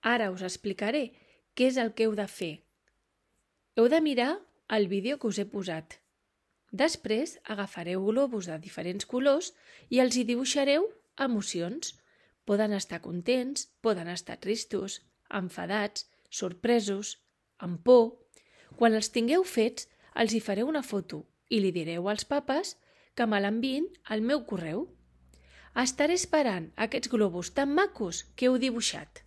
Ara us explicaré què és el que heu de fer. Heu de mirar el vídeo que us he posat. Després agafareu globus de diferents colors i els hi dibuixareu emocions. Poden estar contents, poden estar tristos, enfadats, sorpresos, amb por. Quan els tingueu fets, els hi fareu una foto i li direu als papes que me l'enviïn al meu correu. Estaré esperant aquests globus tan macos que heu dibuixat.